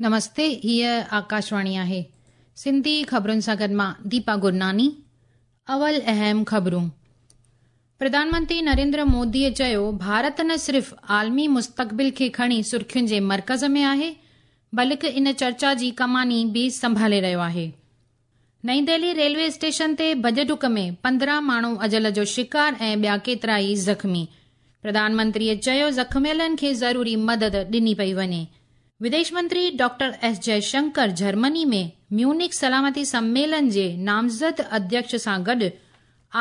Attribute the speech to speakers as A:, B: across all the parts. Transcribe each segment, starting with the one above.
A: نمستي هيء آڪاشواڻي آهي سنڌي خبرن سان گڏ مان ديپا گرناني اول اهم خبرون پرڌان منتري نريندر موديء چيو ڀارت نه صرف عالمي مستقبل کي کڻي سرخين جي مرڪز ۾ آهي بلڪ ان چرچا جي ڪماني به سنڀالي رهيو آهي. نئين دهلي ريلوي اسٽيشن تي ڀڄ ڊڪ ۾ 15 ماڻهو اجل جو شڪار ۽ ٻيا ڪيترائي زخمي. پرڌان منتريء چيو زخميلن کي ضروري مدد ڏني پئي وڃي. وديش منتري ڊاڪٽر ايس جئشنڪر جرمني ۾ ميونخ سلامتي سميلن جي نامزد اڌيڪش سان گڏ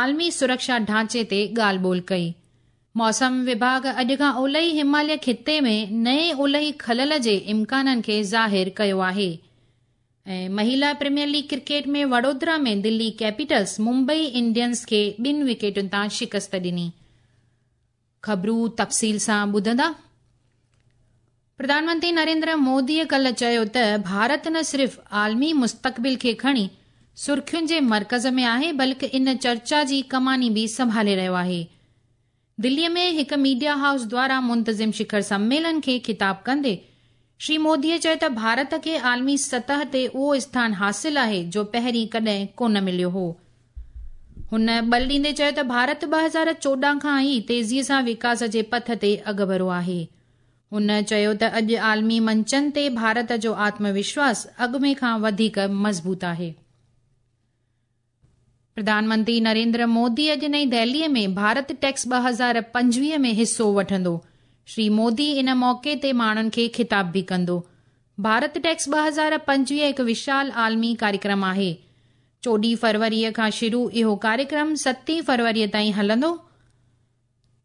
A: عالمي سرڪشا ڍانچي تي ڳالهه ٻولهه ڪئي. موسم وڀاڳ اڄ کان اولهي هماليه خطي ۾ نئين اولهي خلل جي امڪانن کي ظاهر ڪيو آهي. ۽ مهيلا premier league cricket ۾ Vadodara ۾ Delhi Capitals Mumbai Indians کي ٻن وڪيٽن تان شڪست ڏني. خبرون تفصيل سان ٻڌندا. پرڌان منتري نريندر موديء ڪلهه چيو ته ڀارت نه صرف عالمي مستقبل کي کڻي سرخين جي مرڪز ۾ آهي بلڪ ان چرچا جي ڪماني به سنڀالي رهيو آهي. دليء ۾ هڪ ميڊيا هائوس دوارا منتظم شکر سميلن کي خطاب ڪندي شري موديء چيو ته ڀارت کي عالمي سطح تي اهو اسٿان حاصل آهي جو پهرين ڪڏهن ڪونه مليو هو. هن ٻل ڏيندي چيو ته ڀارت 2014 کان ئي تيزيء سان وڪاس جي پٿ تي اڳڀرو آهي. هن چيو ته اڄ عالمي منچن تي ڀارت جو آتم وشواس اڳ ۾ کان وڌيڪ مضبوط آهي. پرڌان منتري نريندر مودي اڄ نئين دهليء ۾ ڀارت ٽيڪس 2025 ۾ حصو وٺندو. شري مودي ان موقعي تي ماڻهن کي خطاب به ڪندو. ڀارت ٽيڪس 2025 هڪ وشال عالمي ڪاريڪرم آهي. 14 فروريء کان شروع اهو ڪاريڪرم ستين فروريء تائين هلندو.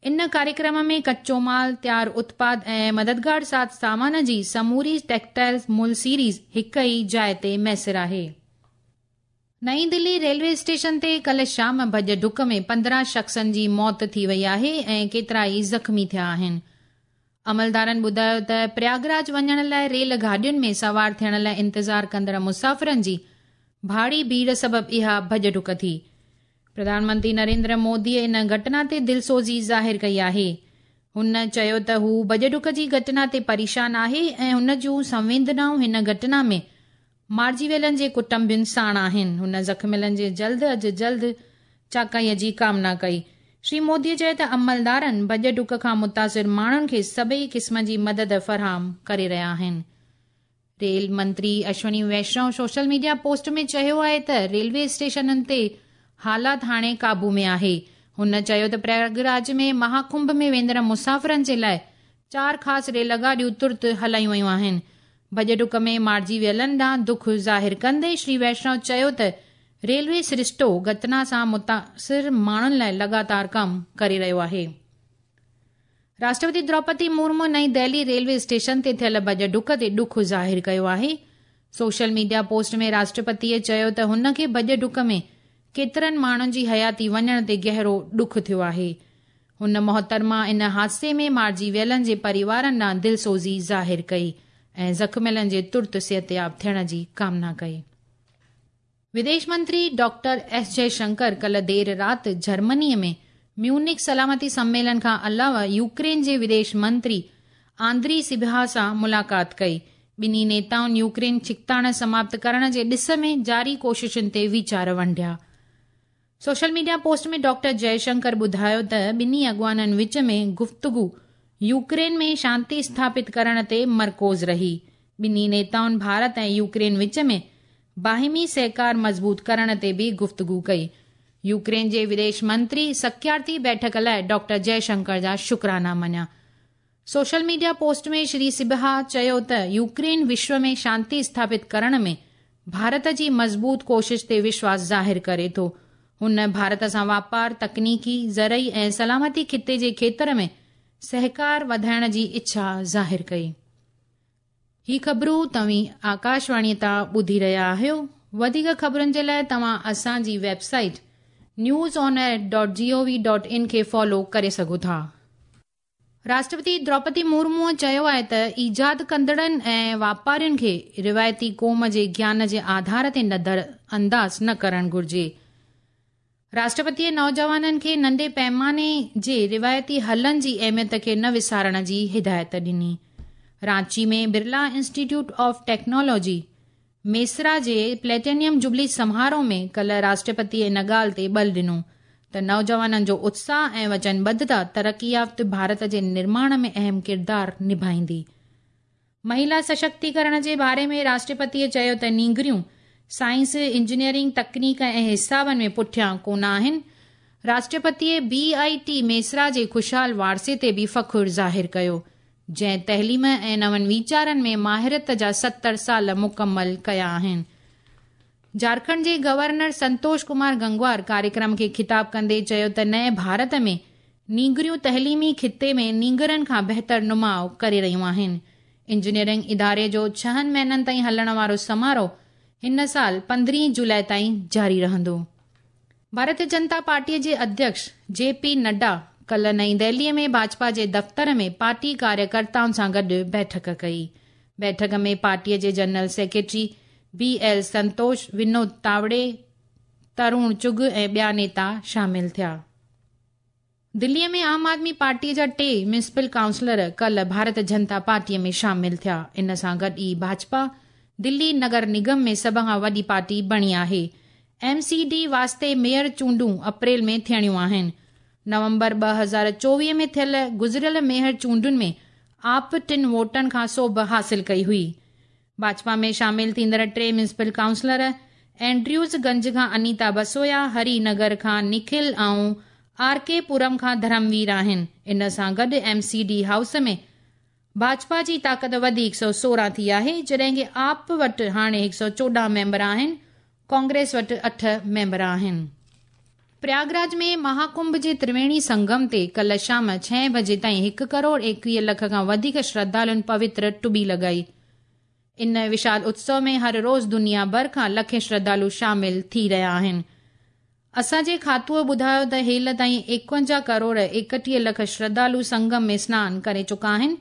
A: ان ڪاريڪرم ۾ ڪچو مال، تيار اتپاد ۽ مددگار ساز سامان جي سموري ٽيڪسٽائل مل سيريز هڪ ئي جاء تي ميسر آهي. نئين دهلي ريلوي اسٽيشن تي ڪلهه شام ڀڄ ڊڪ ۾ 15 شخصن جي موت ٿي وئي آهي ۽ ڪيترائي زخمي ٿيا آهن. عملدارن ٻڌايو ته پرياگراج وڃڻ لاء ريل گاڏين ۾ سوار ٿيڻ لاء انتظار ڪندڙ مسافرن جي ڀاڙي ڀيڙ سبب اها ڀڄ ڊڪ ٿي. پرڌان منتري نريندر موديء ان گهٽنا تي دلسوزي ظاهر ڪئي آهي. هن چيو ته هو ڀڄ ڊڪ جي گهٽنا تي پريشان آهي ۽ هن جون سنويدنائون هن گهٽنا ۾ مارجي ويلن جي ڪٽنبن ساڻ آهن. هن زخميلن جي جلد از جلد چاڪائيء جي ڪامنا ڪئي. شري موديء چيو ته عملدارن ڀڄ ڊڪ کان متاثر ماڻهن کي سڀئي قسم جي مدد فراهم ڪري رهيا آهن. ريل منتري Ashwini Vishnu social media post ۾ چيو آهي ته ريلوي اسٽيشنن تي حالات هاڻي قابو ۾ آهي. هن چيو ته پرياگراج ۾ مها ڪنڀ ۾ ويندڙ مسافرن جي لاء چار خاص ريل گاڏيون ترت هلايون ويون آهن. ڀڄ ڊڪ ۾ مارجي ويلن ڏانهن دک ظاهر ڪندي شري ويشنو چيو ته ريلوي سرشتو گهٽنا سان متاثر ماڻهن لاء لڳاتار ڪم ڪري رهيو آهي. راشٽرپتي دروپدي مرمو نئين دهلي ريلوي اسٽيشن تي ٿيل ڀڄ ڊڪ تي ڏک ظاهر ڪيو آهي. سوشل ميڊيا پوسٽ ۾ راشٽرپتيء چيو ته هن کي ڀڄ ڊڪ ۾ ڪيترن ماڻهن جي حياتي وڃڻ تي گهرو ڏک ٿيو آهي. هن محترمه ان حادثي ۾ مارجي ويلن جي پريوارن ڏانهن دلسوزي ظاهر ڪئي ۽ زخميلن جي ترت صحتياب ٿيڻ جي ڪامنا ڪئي. وديش منتري ڊاڪٽر ايس جئه شنڪر ڪلهه دير رات جرمني ۾ ميونخ سلامتي سميلن کان علاوه يوڪرين جي وديش منتري آندري سبها سان ملاقات ڪئي. ٻنهي نيتائن يوڪرين ڇڪتاڻ سماپت ڪرڻ جي ڏس ۾ جاري ڪوششن تي ويچار ونڊيا. Social media post ۾ doctor Jai Shankar ٻڌايو ته ٻنهي اڳواڻن وچ ۾ گفتگو يوڪرين ۾ شانتي اسٿاپت ڪرڻ تي مرڪوز رهي. ٻنهي نيتائن ڀارت ۽ يوڪرين وچ ۾ باهمي سهڪار مضبوط ڪرڻ تي به گفتگو ڪئي. يوڪرين جي وديش منتري سڪيارتي بيٺڪ لاء ڊاڪٽر جئه شنڪر جا شڪرانا مڃيا. سوشل ميڊيا پوسٽ ۾ شري سبها چيو ته يوڪرين وشو ۾ شانتي اسٿاپت ڪرڻ ۾ ڀارت جي مضبوط ڪوشش تي وشواس ظاهر ڪري ٿو. هن ڀارت سان واپار، تڪنيڪي، زرعي ۽ سلامتي خطي جي کيتر ۾ سهڪار وڌائڻ جي اڇا ظاهر ڪئي. هي خبرون توهين آڪاشواڻي تان ٻڌي رهيا آهيو. وڌيڪ خبرن جي لاء توهان اسان جي website news on air dot G O V dot in کي فالو ڪري سگهو ٿا. راشٽرپتي دروپدي مرموء چيو آهي ته ايجاد ڪندڙن ۽ واپارين کي روايتي قوم جي گيان جي آڌار تي نظر انداز نه ڪرڻ گهرجي. راشٽرپتيء نوجوانن کي ننڍي پيماني جي روايتي حلن جي اهميت کي نه وسارڻ جي هدايت ڏني. Ranchi ۾ Birla institute of technology Mesra جي پليٽينيم جوبلي سماروهه ۾ ڪالهه راشٽرپتيء ان ڳالهه تي ٻل ڏنو ته نوجوانن جو اتساهه ۽ وچنبڌتا ترقي يافته ڀارت جي نرماڻ ۾ اهم ڪردار نڀائيندي. مهيلا سشڪتيڪرڻ جي باري ۾ راشٽرپتيء چيو ته نينگريون سائنس، انجنيئرنگ، تڪنيڪ ۽ حسابن ۾ پٺيان ڪونه آهن. راشٽرپتيء بي آء ٽي ميسرا جي خوشحال وارثي تي به فخر ظاهر ڪيو. جنهن تعليم ۽ نون ويچارن ۾ ماهرت جا 70 سال مڪمل ڪيا آهن. جهارکنڊ جي گورنر سنتوش ڪمار گنگوار ڪاريڪرم کي خطاب ڪندي چيو ته نئين ڀارت ۾ نينگريون تعليمي خطي ۾ نينگرن کان بهتر نماء ڪري رهيون آهن. انجنيئرنگ اداري جو ڇهن مهينن تائين هلڻ وارو سماروهه هن سال 15 جولاء تائين جاري رهندو. ڀارتيه جنتا پارٽيء جي اڌيڪش جي پي نڊا ڪالهه نئين دهليء ۾ ڀاجپا جي دفتر ۾ پارٽي ڪاريڪرتائن سان گڏ بيٺڪ ڪئي. بيٺڪ ۾ پارٽيء جي general secretary B L Santosh, Vinod Tawde, Tarun Chugh ۽ ٻيا نيتا شامل ٿيا. دليء ۾ عام آدمي پارٽيء جا ٽي ميونسپل ڪائونسلر ڪالهه ڀارت جنتا پارٽيء ۾ شامل ٿيا. ان سان گڏ ئي ڀاجپا دلي نگر نگم ۾ سڀ کان وڏي پارٽي بڻي آهي. ايم سي ڊي واسطي ميئر چونڊون اپريل ۾ ٿيڻيون آهن. نومبر 2024 ۾ ٿيل گذريل ميئر چونڊن ۾ آپ ٽن ووٽن کان سوڀ حاصل ڪئي هئي. ڀاجپا ۾ شامل ٿيندڙ ٽي ميونسپل ڪائونسلر اينڊريوز گنج کان انيتا بسويا، هري نگر کان نکل ۽ آر ڪي پورم کان ڌرموير آهن. ان سان گڏ M C D house ۾ Bhajpa جي طاقت وڌي 116 ٿي آهي، جڏهن ڪه آپ وٽ هاڻي 114 ميمبر آهن، ڪانگريس وٽ اٺ ميمبر آهن. پرياگراج ۾ مهاڪنڀ جي ترويڻي سنگم تي ڪالهه شام ڇهين بجي تائين هڪ ڪروڙ 21 لک کان وڌيڪ شرڌالن پوتر ٽٻي لڳائي. ان وشال اتسو ۾ هر روز دنيا ڀر کان لکين شرڌالو شامل ٿي رهيا آهن. اسان جي کاتوء ٻڌايو ته هيل تائين 51 ڪروڙ 31 لک شرڌالو سنگم ۾ سنان ڪري چڪا آهن،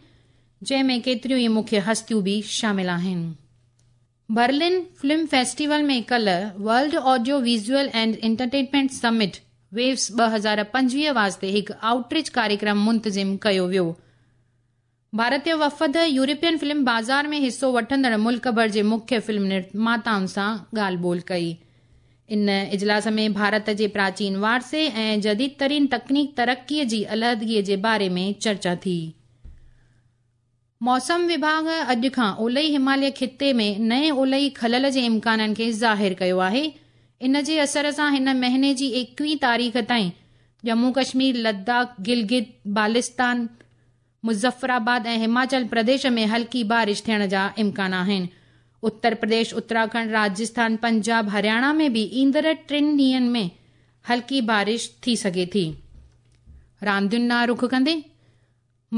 A: جنهن ۾ ڪيتريون ئي مکيه هستيون به شامل آهن. برلن فلم فيسٽيول ۾ ڪالهه world audio visual and entertainment summit, waves 2025 واسطي هڪ آئوٽريچ ڪاريڪرم منتظم ڪيو ويو. ڀارتي وفد يورپين فلم بازار ۾ حصو وٺندڙ ملڪ ڀر جي مکيه فلم نرماتائن سان ڳالهه ٻولهه ڪئي. ان اجلاس ۾ ڀارت جي پراچين وارثي ۽ جديد ترين تڪنيڪ ترقي جي علحدگي جي باري ۾ چرچا ٿي. موسم وڀاڳ اڄ کان اولهي هماليه خطي ۾ نئين اولهي خلل جي امڪانن کي ظاهر ڪيو آهي. ان جي اثر سان هن مهيني جي 21 تاريخ تائين ڄمون ڪشمير، لداخ، گلگت بالستان، مظفرآباد ۽ هماچل پرديش ۾ هلڪي بارش ٿيڻ جا امڪان آهن. اتر پرديش، اتراکنڊ، راجسٿان، پنجاب، هرياڻا ۾ به ايندڙ ٽن ڏينهن ۾ هلڪي بارش ٿي سگهي ٿي. راندين ڏانهن رخ ڪندي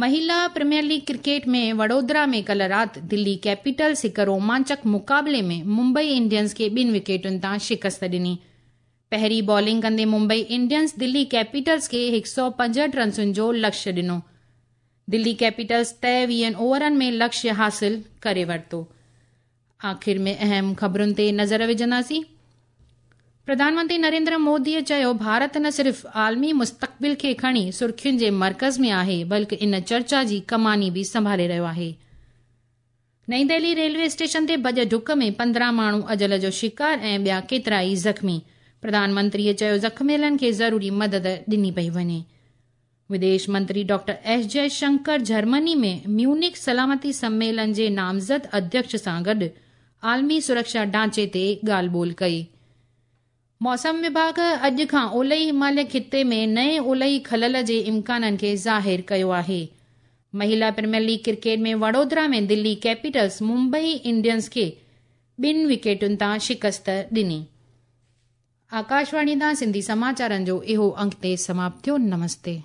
A: مهيلا پريميئر ليگ ڪرڪيٽ ۾ وڊودرا ۾ ڪالهه رات دلي ڪيپيٽلز هڪ رومانچڪ مقابلي ۾ ممبئي انڊينز کي ٻن وڪيٽن تان شڪست ڏني. پهرين بالنگ ڪندي ممبئي انڊينز دلي ڪيپيٽلز کي 165 رنسن جو لڪشيه ڏنو. دلي ڪيپيٽلز طئي ويهن اوورن ۾ لڪشيه حاصل ڪري ورتو. آخر ۾ اهم خبرن تي نظر وجهنداسين. پرڌان منتري نريندر موديء چيو ڀارت نه صرف عالمي مستقبل کي کڻي سرخين جي مرڪز ۾ آهي بلڪ ان چرچا جي ڪماني به سنڀالي رهيو آهي. نئين دهلي ريلوي اسٽيشن تي ڀڄ ڊڪ ۾ 15 ماڻهو اجل جو شڪار ۽ ٻيا ڪيترائي زخمي، پرڌان منتريء چيو زخميلن کي ضروري مدد ڏني پئي وڃي. وديش منتري ڊاڪٽر ايس جئه شنڪر جرمني ۾ ميونخ سلامتي سميلن جي نامزد اڌيڪش سان گڏ عالمي سرڪشا ڍانچي تي ڳالهه ٻولهه ڪئي. موسم وڀاڳ اڄ کان اولهي هماليه خطي ۾ نئين اولهي خلل جي امڪانن کي ظاهر ڪيو آهي. مهيلا premier league cricket ۾ Vadodara ۾ Delhi Capitals Mumbai Indians کي ٻن وڪيٽن تان شڪست ڏني. آڪاشواڻي تان سنڌي سماچارن جو اهو انڪ تي سماپت ٿيو. نمستي.